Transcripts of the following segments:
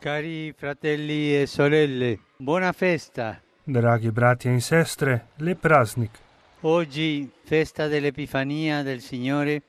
Cari fratelli e sorelle, buona festa. Dragi bratje in sestre, lep praznik. Oggi, festa dell'Epifania del Signore,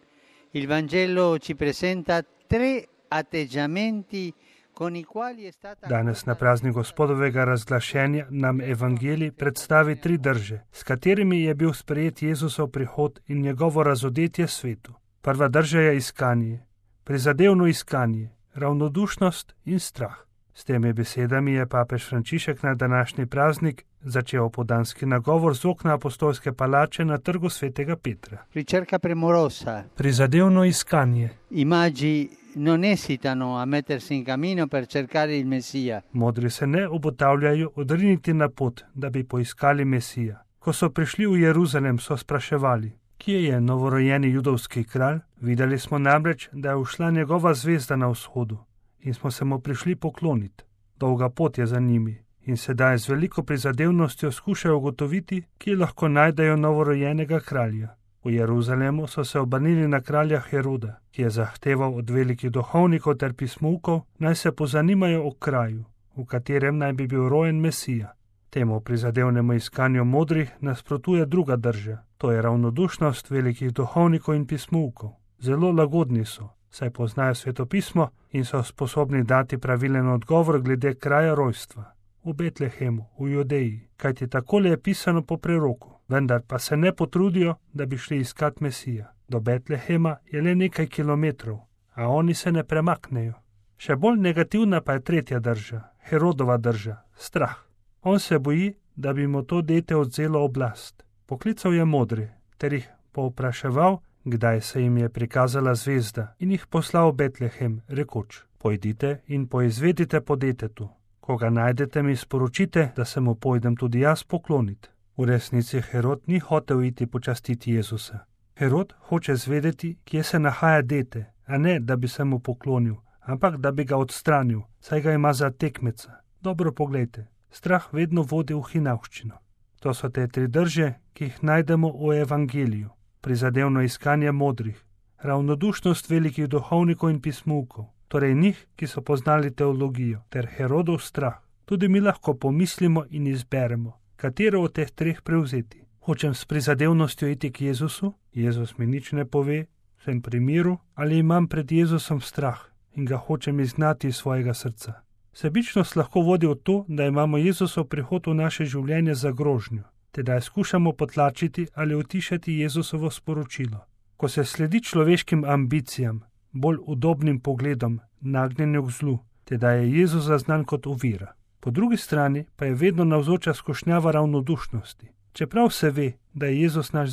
il Vangelo ci presenta tre atteggiamenti con i quali è stata... Danes na praznik Gospodovega razglašenja nam evangelij predstavi tri drže, s katerimi je bil sprejet Jezusov prihod in njegovo razodetje svetu. Prva drža je iskanje, prizadevno iskanje, ravnodušnost in strah. S temi besedami je papež Frančišek na današnji praznik začel opoldanski nagovor z okna apostolske palače na trgu svetega Petra. Ricerca premorosa. Prizadevno iskanje. I magi non esitano a mettersi in cammino per cercare il Messia. Modri se ne obotavljajo odriniti na pot, da bi poiskali Mesija. Ko so prišli v Jeruzalem, so spraševali, kje je novorojeni judovski kralj? Videli smo namreč, da je ušla njegova zvezda na vzhodu in smo se mu prišli pokloniti. Dolga pot je za njimi in sedaj z veliko prizadevnostjo skušajo ugotoviti, kje lahko najdejo novorojenega kralja. V Jeruzalemu so se obrnili na kralja Heroda, ki je zahteval od velikih duhovnikov ter pismukov, naj se pozanimajo o kraju, v katerem naj bi bil rojen Mesija. Temu prizadevnemu iskanju modrih nasprotuje druga drža, to je ravnodušnost velikih duhovnikov in pismukov. Zelo lagodni so, saj poznajo svetopismo in so sposobni dati pravilen odgovor glede kraja rojstva. V Betlehemu, v Judeji, kajti takole je pisano po preroku, vendar pa se ne potrudijo, da bi šli iskat Mesija. Do Betlehema je le nekaj kilometrov, a oni se ne premaknejo. Še bolj negativna pa je tretja drža, Herodova drža, strah. On se boji, da bi mu to dete odzelo oblast. Poklical je modre, ter jih povpraševal, kdaj se jim je prikazala zvezda, in jih poslal v Betlehem, rekoč, pojdite in poizvedite po detetu. Ko ga najdete, mi sporočite, da se mu pojdem tudi jaz pokloniti. V resnici Herod ni hotel iti počastiti Jezusa. Herod hoče zvedeti, kje se nahaja dete, a ne, da bi se mu poklonil, ampak da bi ga odstranil, saj ga ima za tekmeca. Dobro poglejte, strah vedno vodi v hinavščino. To so te tri drže, ki jih najdemo v evangeliju. Prizadevno iskanje modrih, ravnodušnost velikih duhovnikov in pismukov, torej njih, ki so poznali teologijo, ter Herodov strah. Tudi mi lahko pomislimo in izberemo, katero od teh treh prevzeti. Hočem s prizadevnostjo iti k Jezusu, Jezus mi nič ne pove, sem pri miru, ali imam pred Jezusom strah in ga hočem izgnati iz svojega srca. Sebičnost lahko vodi v to, da imamo Jezusov prihod v naše življenje za grožnjo, tedaj skušamo potlačiti ali utišati Jezusovo sporočilo. Ko se sledi človeškim ambicijam, bolj udobnim pogledom, nagnjenju k zlu, tedaj je Jezus zaznan kot ovira. Po drugi strani pa je vedno navzoča skušnjava ravnodušnosti. Čeprav se ve, da je Jezus naš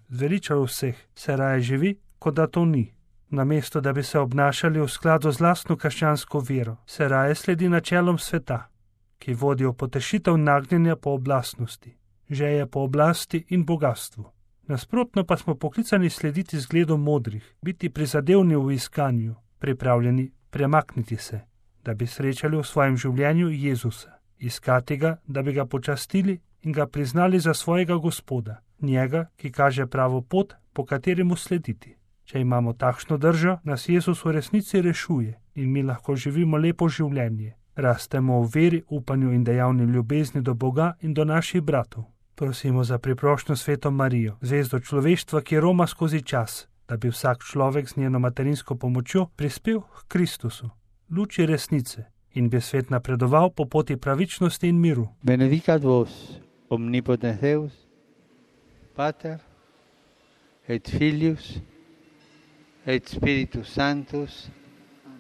zveličar vseh, se raje živi, kot da to ni. Namesto da bi se obnašali v skladu z lastno krščansko vero, se raje sledi načelom sveta, ki vodijo potešitev nagnjenja po oblastnosti, želje po oblasti in bogatstvu. Nasprotno pa smo poklicani slediti zgledom modrih, biti prizadevni v iskanju, pripravljeni premakniti se, da bi srečali v svojem življenju Jezusa, iskati ga, da bi ga počastili in ga priznali za svojega Gospoda, njega, ki kaže pravo pot, po kateremu slediti. Če imamo takšno držo, nas Jezus v resnici rešuje in mi lahko živimo lepo življenje. Rastemo v veri, upanju in dejavni ljubezni do Boga in do naših bratov. Prosimo za priprošnjo Sveto Marijo, zvezdo človeštva, ki roma skozi čas, da bi vsak človek z njeno materinsko pomočjo prispel k Kristusu, luči resnice, in bi svet napredoval po poti pravičnosti in miru. Benedicat vos, omnipotens Deus, Pater et Filius et Spiritus Sanctus.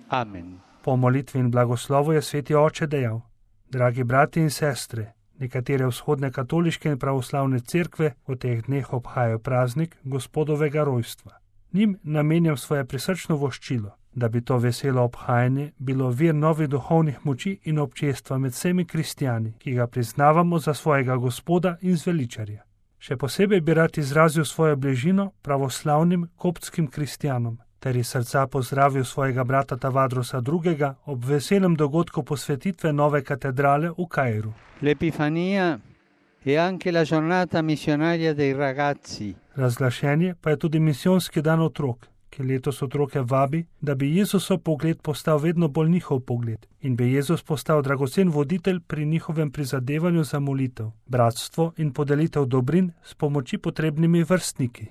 Amen. Po molitvi in blagoslovu je Sveti Oče dejal: Dragi brati in sestre, nekatere vzhodne katoliške in pravoslavne cerkve v teh dneh obhajajo praznik Gospodovega rojstva. Njim namenjam svoje prisrčno voščilo, da bi to veselo obhajanje bilo vir novih duhovnih moči in občestva med vsemi kristjani, ki ga priznavamo za svojega Gospoda in zveličarja. Še posebej bi rad izrazil svojo bližino pravoslavnim koptskim kristjanom, ter iz srca pozdravil svojega brata Tavadrosa II. Ob veselem dogodku posvetitve nove katedrale v Kairu. L'Epifania è anche la giornata missionaria dei ragazzi. Razglašenje pa je tudi misijonski dan otrok, ki letos otroke vabi, da bi Jezusov pogled postal vedno bolj njihov pogled in bi Jezus postal dragocen voditelj pri njihovem prizadevanju za molitev, bratstvo in podelitev dobrin s pomoči potrebnimi vrstniki.